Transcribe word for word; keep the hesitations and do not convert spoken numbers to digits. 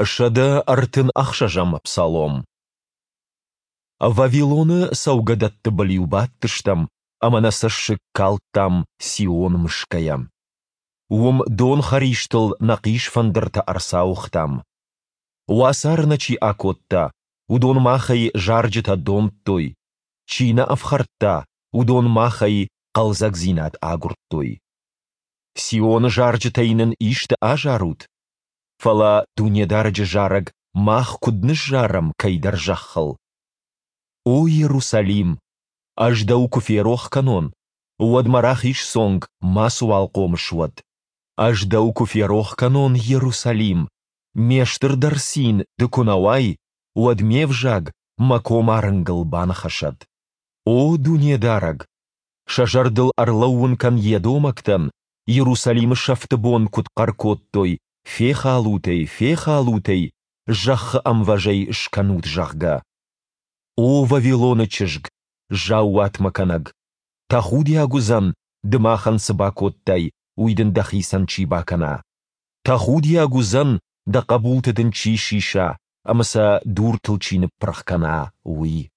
Сӕдӕ ӕртын ӕхсӕзӕм псалом. Вавилоны цӕугӕдӕтты был-иу бадтыстӕм ӕмӕ нӕ цӕссыг калдтам Сион мысгӕйӕ. Уым донхӕристыл нӕ хъисфӕндыртӕ ӕрцауыгътам. Уацары нӕ чи акодта, уыдон махӕй зарджытӕ домдтой, чи нӕ ӕфхӕрдта, уыдон махӕй хъӕлдзӕгдзинад агуырдтой. Сионы зарджытӕй нын исты азарут? Фӕлӕ Дунедарӕджы зарӕг мах куыд ныззарӕм кӕйдӕр зӕххыл? О Иерусалим, ӕз дӕу куы ферох кӕнон, уӕд мӕ рахиз цонг мацыуал хъомыс уӕд. Ӕз дӕу куы ферох кӕнон, Иерусалим, ме стырдӕр цин ды куы нӕ уай, уӕд ме взаг мӕ комарынгыл баныхӕсӕд. О Дунедарӕг! Сӕ зӕрдыл ӕрлӕууын кӕн едомӕгтӕн, Иерусалимы сӕфты бон куыд хъӕр кодтой, фехалут ӕй, фехалут ӕй, зӕххы ӕмвӕз ӕй скӕнут, зӕгъгӕ. О Вавилоны чызг, заууатмӕ кӕнӕг! Тӕхудиаг уыдзӕн, ды махӕн цы бакодтай, уый дын дӕхицӕн чи бакӕна. Тӕхудиаг уыдзӕн, дӕ хъӕбулты дын чи сиса ӕмӕ сӕ дуртыл чи ныппырх кӕна, уый.